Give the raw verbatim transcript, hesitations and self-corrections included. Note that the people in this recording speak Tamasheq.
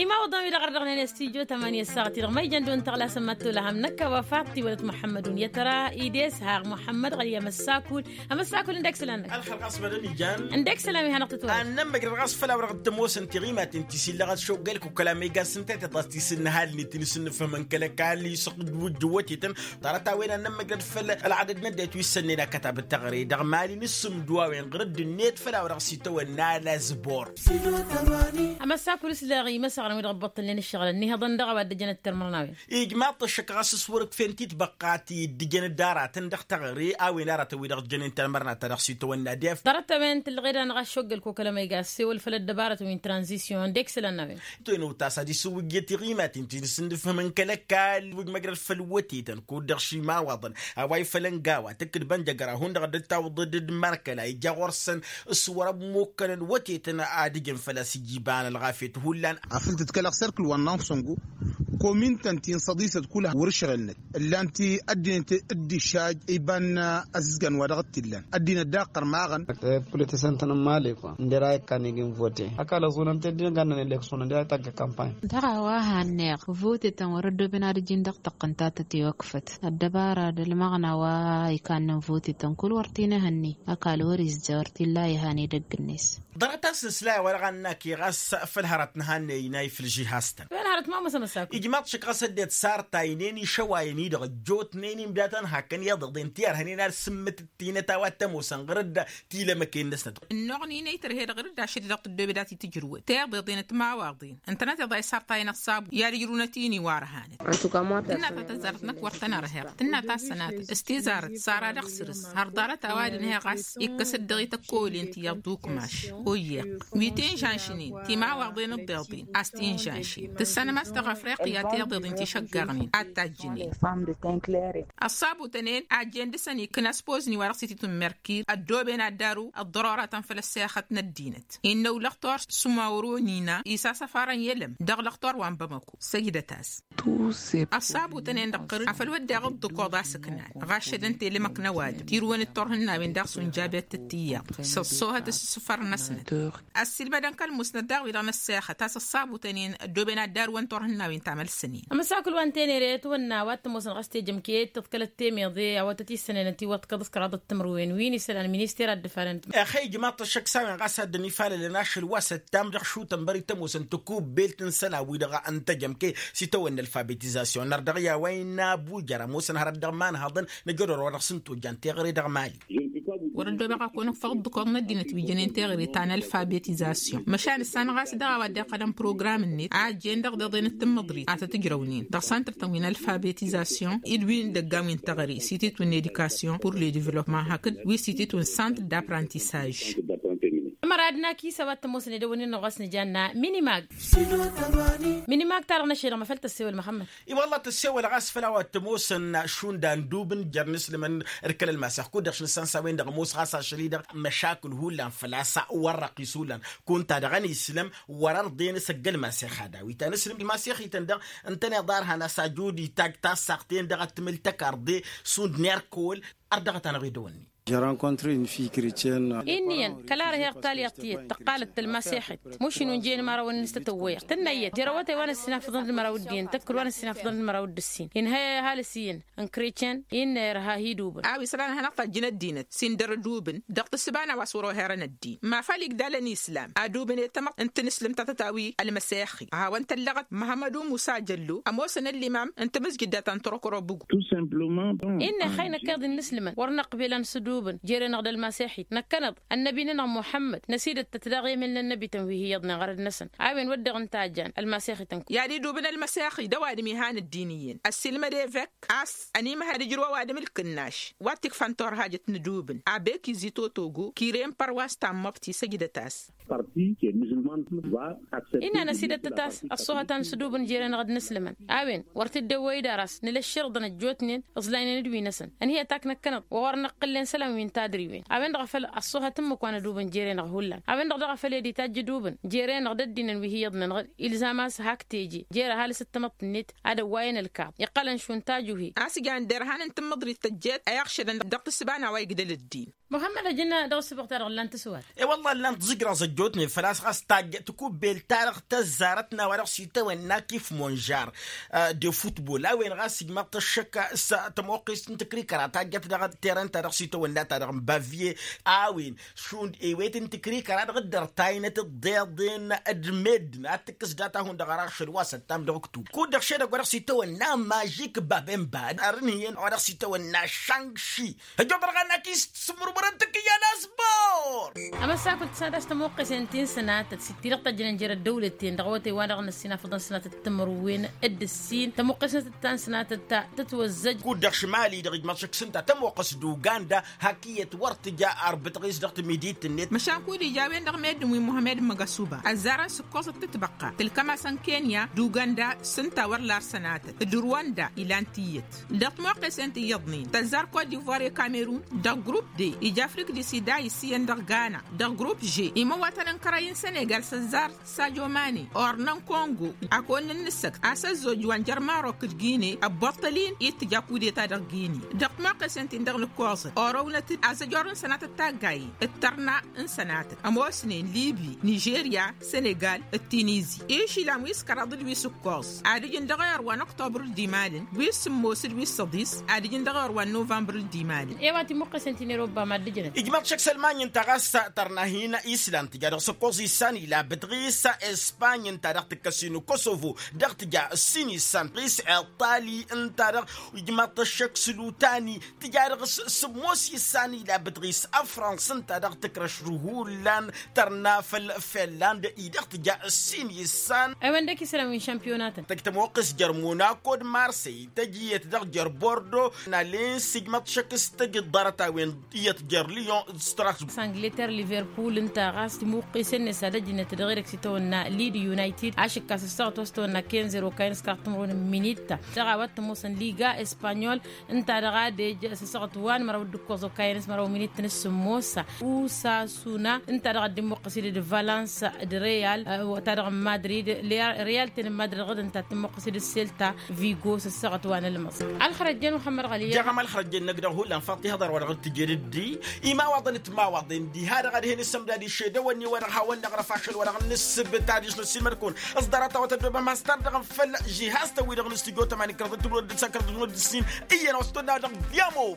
Imawăḍăn-wi-dăɣ ărdăɣnen i-studyo tămani ăssaɣăt-i-dăɣ ma ijăn dăɣ-wăn tăɣlasăn ma t-tolăhăm năkk a-wa faḍt-i wălăt muḥămmăd-un i-ad-tăra. Ides haɣ muḥămmăd ɣăli amăssakul. Amăssakul ǝndek isălan-năk. Ălxer ɣas mădăn ijan. Ǝndek isălan-wi hanăɣ-tătwălăt. Ad-nămmăjrăd ɣas făll-a-wa-dăɣ tămoosăn tiɣimaten ti s-illăɣăt šoggăl kukăla ma iga s-ǝntăyteḍ a-s ti s-ǝnnăhalnen ti n-asǝnnǝfhǝmăn kăl-ăkall isăqdǝwǝjjǝw wătetăn. Ḍarăt-a-wen ad-nămmăjrăd făll-ălɣadăd n-ăddinăt wi s-ănnen akătab n-teɣăre dăɣ-mali n-asǝmdǝw a-wen ɣur-dd-net făll-a-wa-dăɣ s-itawănna alazbor. Amăssakul s-leɣ imăsăɣrăn wi-dăɣ ǝbbăṭṭălnen ǝššăɣǝlăn nihăḍăn dăɣ-a-wa dd-ăjănăt termărnawen. Ijmaḍ-t ăššăk ɣas s-wăr-ǝkfen titbăqqa ti dd-ǝjăn dd-aratăn dăɣ-teɣăre a-wen aratăn wi-dăɣ ǝjănen termărnatăn dăɣ-s itawănna def. Ḍarăt-a-wen tǝllăɣed-anăɣ a-s šoggăl kokălăm a iga ăssewăl făll-ăddăbarătăn wi n-tranzisyon dd-ekselăn n-a-wen. Tăwănăwt a-s ad-isǝwwǝjjăt iɣimaten ti n-asǝnnǝfhǝmăn kăl-ăkall wi d-măjrăd făll-wătetăn kud-dăɣ šimawăḍăn a-wa ifălăn gawa tǝkkǝd bănjăgăra hundăɣ dd-tawǝḍ dd-mărkăla ija ɣur-săn s-wăr-ămmukkănăn wătetăn ad-ǝjǝn făl-a-s ija iba n-ălɣafyăt hullan. Afăl tǝdkălăɣ serkǝl wa n-nansăngu komin-tăn ti n-săḍisăt kull wăr-ǝšɣǝlnăt ǝllan-t ăddinăt dd-išaj iba n-azǝzgan wa dăɣ-t-illan ăddinăt daɣ ɣărmaɣăn. Pulătesăn-tăn n-mali kwa ǝnder a ikkan ig'-in vote ăkall ăẓunăn-t ăddinăt gannăn eleksyon ǝnder a itagg kampany. Dăɣ-a-wa hanneɣ vote-tăn wăr-ăddoben ad-ǝjǝn dăɣ-tăqqǝnta tătiwăkfăt ăddăbara d-ălmăɣna wa ikannăn vote-tăn kull wăr t-inǝhǝnni. Ăkall wăr-izza wăr t-illa ihan edăgg-net. Ḍarăt a-s nǝsla i-a-wa dăɣ-annake ɣas făll-hărăt n-ehănne inay făll-žihaz-tăn. Ijmaḍ-t šăkk ɣas ăddinăt sartaynen išăwayăn-i-dăɣ ăjjootnen imdatăn hakăn iḍeḍen ti ărhănen ad-sǝmmǝtǝt tinăt a-wa t-ămoosăn ɣur-dd tilămăken-năsnăt. Ǝnnuɣ n-inay tărhed ɣur-dd ašăl-i-dăɣ tăddoobed ad-t-tǝjrǝwăd tiḍeḍen d-timawaḍen ǝntănăt iḍa isartayăn ăṣṣabu i-ad-ǝjrǝwnăt-in iwar hanăt. Tǝnna ta tăzzarăt-năk wăr tăn-ărher tǝnna ta s-sănatăt s-tizarăt sara dăɣ-săr-s har ḍarăt a-wa d-ǝnhăy ɣas ikkăs-dd dăɣ-i tăkkolen ti iyyăḍ d-ukmaš. Oyyeɣ wi t-inžanšnen timawaḍen ǝḍḍeḍen a-s t-inžanšen tǝssanăm a-s dăɣ-afriqya tiḍeḍen ti šăggăɣnen ad-tajjǝnen. Ăṣṣabutăn-en ajjen dăɣ-săn ikkăn ăspozni wa dăɣ-s ititun merkir ăddooben ad-daru ăḍḍărora ta n-făll-ăssexăt n-ăddinăt innă ulăxtor s-umawroni n-a isasăfarăn i-elăm dăɣ-lăxtor wa n-bamăko. Săjdăt-as. Ăṣṣabutăn-en dăɣ-tărǝd afăl wădden ăḍḍǝkoḍ a-s ǝknan ɣašădăn telămăk n-ăwadǝm tirǝwăn d-turhǝnnawen daɣ s-unjabet d-tiyyăḍ s-ăṣṣoohăt s-isǝfăr-năsnăt. Ăssiilmădăn kăl-musnăt daɣ wi-dăɣ n-ăssexăt a-s ăṣṣabutăn-en ăddooben ad-darǝwăn turhǝnnawen tamălsănen. Ămăsakǝl wa n-tenere tawănna wa t-ămoosăn ɣas tejămket tǝḍkălăt temeḍe a-wa tăt-issănăynăt iwwăḍkăḍ s-kăraḍăt timǝrwen wi n-isălan minister ad-dd-ǝfalăn. Ăxăy ijmaḍ-t ăššăk s-a-wen ɣas ad-dd-ănifalălăn ašăl wa s-ăttam dăɣ-šutăn bări tămoosăn tăkubbelt n-isălan-wi-dăɣ n-tejămke s-itawănna ălfabetizasyon nărdăɣ i-a-wa innă abujăr ămoosăn hărăt dăɣ-imanhăḍăn năjădor wa dăɣ-s n-tojjan teɣăre dăɣ-mali. Wăr-ăddoobăɣ a kăwăn-ǝffăɣ dd-ǝkkoḍ n-ăddinăt wi jănen teɣăre ta n-ălfabetizasyon măšan ǝssan ɣas dăɣ-a-wa dd-iqqălăn program-net a ăjjeen dăɣ-deḍen d-tǝmmǝḍrit a tăt-ǝjrăwnen dăɣ-santr-tăn wi n-ălfabetizasyon d-wi n-idăggan wi n-teɣăre s-ititun n-edikasyon pur ledivlopman hakd wi s-ititun santr d-aprantisaj. Ămăra ad-nakis a-wa t-ămoosăn edăwănnin-năɣ ɣas nǝjanna minimag. Minimag-ta-dăɣ n-ašăl-dăɣ măfăl tăssewăl măxămmăd. I-wălla tăssewăl ɣas făll-a-wa t-ămoosăn šund andubǝn jer-inǝslǝmăn d-kăl-ălmasex kud-dăɣ šăn s-a-wen-dăɣ ămoos ɣas ašăl-i-dăɣ măšakǝl hullan făl-a-s wăr răqis hullan kunta dăɣ-ănislăm wăr-ărḍen s-ăgg-ălmasex ad-awit anǝslǝm d-ălmasex-ităn-dăɣ ǝntăneḍ arhan a-s ajud itajj tassaɣt-en-dăɣ ad-tǝmǝl tăkarḍe šund n-erkăwăl. Ărdăɣăt-anăɣ edăwănni. Inn'-iyyăn kăla ărheɣ talyaḍt tiyyăt tăqqalăt tălmasexit mušin unjăyăn imărawăn-in s-tătăwwăyăɣ tǝnna iyyăt jerăwătay wa n-ăssinafăḍăn d-imăraw d-iyyăn tăkkăl wa n-ăssinafăḍăn d-imăraw d-ǝssin inhăy ăhalǝs iyyăn n-kricen. Innă irha hi-idubǝn a-wa isălan ad-hanăɣ-tajjǝn ăddinăt s-indăr idubǝn dăɣ-tǝssǝba n-a-wa s-wăr-oherăn ăddin mafal igdal ănislam adubǝn i-tamăḍt n-tinǝslǝmt ta tătawi ălmăsexi a hawăn-tăllăɣăt măhămmădu musa jăllo ămoosăn ăllimam n-tamǝzjǝdda ta n-turăkro bǝgu. Innă ixăy năkk iḍ innǝslǝmăn wăr năqbel ad-nǝsǝdubǝn jer-enăɣ d-ălmasex-it năkkăneḍ ănnăbi-nănăɣ muḥămmăd năsidăt-tăt daɣ i-emel n-ănnăbi-tăn wi hi-iyyăḍnen ɣărăd-năsăn a-wen wădden ǝnta a jan ălmasex-ităn. I-ad-idubǝn ălmasex-i d-ăwadǝm ihan ăddin iyyăn ăssiilmăd evek a-s ănimăhăd ǝjrǝw ăwadǝm ǝlkǝnnaš wa t-ikfan turhajăt n-idubǝn abek izzi totogo kire n-părwas tammăḍt isăjdăt-as. Innă năsidăt-tăt-a-s ăṣṣoohăt ad-nǝsǝdubǝn jer-enăɣ d-inǝslǝmăn a-wen wăr t-dd-ewwăy idar a-s nǝla ǝšširǝḍăn ăjjootnen ǝẓlaynen d-wi-năsăn ănhǝyăt ak năkkăneḍ wa wăr năqqǝllen. wi n-tadriwen a-wen-dăɣ a făl ăṣṣuhăt ǝmmǝk wa n-ădubǝn jere-năɣ hullan a-wen-dăɣ daɣ a făl ed itajj ǝdubǝn jere-năɣ d-ăddinăn wi hi-iyyăḍnen ilzam a-s hak teje jer-ăhalǝs d-tamăḍt-net ad-ăwwayăn ălkaḍ iqqălăn šund tajuhe. A-s jan derhan n-tǝmmǝḍrit tăjjeet a iɣšădăn dăɣ-tǝssǝba n-a-wa igdăl ăddin. Muhămmăd ăjǝnna dăɣ-s băɣ-ta-dăɣ ǝllan tǝswat. E-wălla ǝllan tǝẓǝjraẓ ăjjootnen făl-a-s ɣas tajjăt kubbelt-ta-dăɣ tăzzarăt n-a-wa dăɣ-s itawănna kif monžar de futbol a-wen ɣas ijmăḍ-t ăššăk s-tămoqqest n-tǝkrikăra tajjăt dăɣ-teren-ta dăɣ-s itawănna-ta-dăɣ n-bavye. A-wen šund ewet n-tǝkrikăra dăɣ-dd-ărtaynăt ǝḍḍeḍen d-meddǝn ad-tǝkkǝs data-hund dăɣ-ara ašăl wa s-ăttam dăɣ-ǝktub kud-dăɣ šedăgg wa dăɣ-s itawănna mažik babenba. Arǝnhǝyăn wa dăɣ-s itawănna šăngši. Ăjjoḍărɣa n-akis sǝmmărmărăn tǝkkǝyya n-asbor. Amăsakul tǝsnat a-s tămoqqesen ti n-sănatăt s-dd-tidăɣ tăjjănen jer-ăddăwlăten dăɣ-awătay wa dăɣ-năssin afăḍăn sănatăt timǝrwen d-ǝssin tămoqqesen tǝttan sănatăt ta tătwăzzăj. Kud-dăɣ šimali-dăɣ ijmaḍ šăkk s-ǝnta tămoqqes d-uganda hak iyyăt wăr tǝja arbǝtăɣ-is dăɣ-tǝmidit-net. Măšan kud-ija a-wen-dăɣ meddǝn wi muhămed măgăsuba ăzzarăn s-ǝkkoẓăt tǝtbăqqa tǝlkăm-asăn kenya d-uganda s-ǝnta wăr lar sănatăt d-rwanda ilan tiyyăt. Dăɣ-timoqqesen ti iyyăḍnen tăzzar kot divoir i-kamerun dăɣ-grupp d ija afrik di sida iss iyyăn dăɣ-gana. Dăɣ-grupp ž imăwwatăn n-kărăy n-senegal s-ăzzar sajo mane ornăn kongo. Akăwăn n-ǝnnǝssăkt a-s ăzzoj wa n-jer-marok d-gine ăbboṭṭăl-in i-tǝja kudeta dăɣ-gine. Dăɣ-timoqqesen ti n-dăɣ-nǝkkoẓăt orăwnăt-dd azăjor n-sănatăt taggayen d-tărna n-sănatăt ămoosnen libi nižerya senegal d-tinizi. Išilan wi s-kăraḍ d-wi s-ǝkkoẓ ad-ǝjǝn dăɣ-ewăr wa n-oktobăr dd-imalăn wi s-sǝmmos d-wi s-săḍis ad-ǝjǝn dăɣ-ewăr wa n-novămbăr dd-imalăn. Ewăt imuqqesen ti n-eroba ma dd-ǝjǝnăt. Ijmăḍ šăkk s-ălmany ǝnta ɣas tărna hin-islan tǝja dăɣ-s ǝkkoẓ issan ila bǝtɣis. Espany ǝnta dăɣ-tǝkkăs-in kosovo dăɣ-tǝja ǝssin issan bǝtɣis iṭali ǝnta dăɣ-ijmăḍ-t ăššăk s-lutani tǝja dăɣ-s sǝmmos issan ila bǝtɣis ăfrăns ǝnta dăɣ-tǝkrăš d-hullan tărna făll-finland-i dăɣ-tǝja ǝssin issan. Ewăn dăɣ-kisălan wi n-šampiyonatăn tăj tămoqqes jer-monako d-marsey tăj iyyăt dăɣ-jer-bordo. N-alens ijmăḍ šăkk s-tăj ǝḍḍarăt a-wen iyyăt jer-lion d-strasbur. Angleter liverpul ǝnta ɣas timuqqesen-net ad-ăjnăt dăɣ-edăgg s-itawănna lid united ašǝkkas ăssaɣăt wa s-tawănna kenzer okayăn s-kăraḍ timǝrwen n-minitta. Dăɣ-a-wa t-ămoosăn liga espanyol ǝnta dăɣ-adăj s-asăɣăt wa n-măraw d-ǝkkoẓ okayăn s-măraw minittăn s-sǝmmos. Usasuna ǝnta dăɣ-dd-immuqqǝs-dd d-valans d-real ta dăɣ-n madrid. Real ten n-madrid dăɣ-dd-ǝnta t-immuqqǝs-dd d-selta vigo s-ăssaɣăt wa n-ălmăẓ. Ălxărăjjen muxămmăd ɣăli. Jaɣăm ălxărăjjen năgg dăɣ-hullan faḍt ihăḍăr wa dăɣ-dd-tǝjed dd-i imawaḍăn d-timawaḍen diha-dăɣ ad-hin-isǝmdad išedăwăn-i wa dăɣ-hawăn-năɣrăf ašăl wa dăɣ-nǝssǝbǝt ad-isnăssilmăd-kăwăn s-ḍarăt a-wa tăddobăm has-tardăɣăm făll-žihaz-tăn-wi-dăɣ n-studyo tămani kăraḍ d-timǝrwen d-ǝssan kăraḍ d-timǝrwen d-ǝssin. Iyyăn a-wa s-tonna dăɣ-diamo.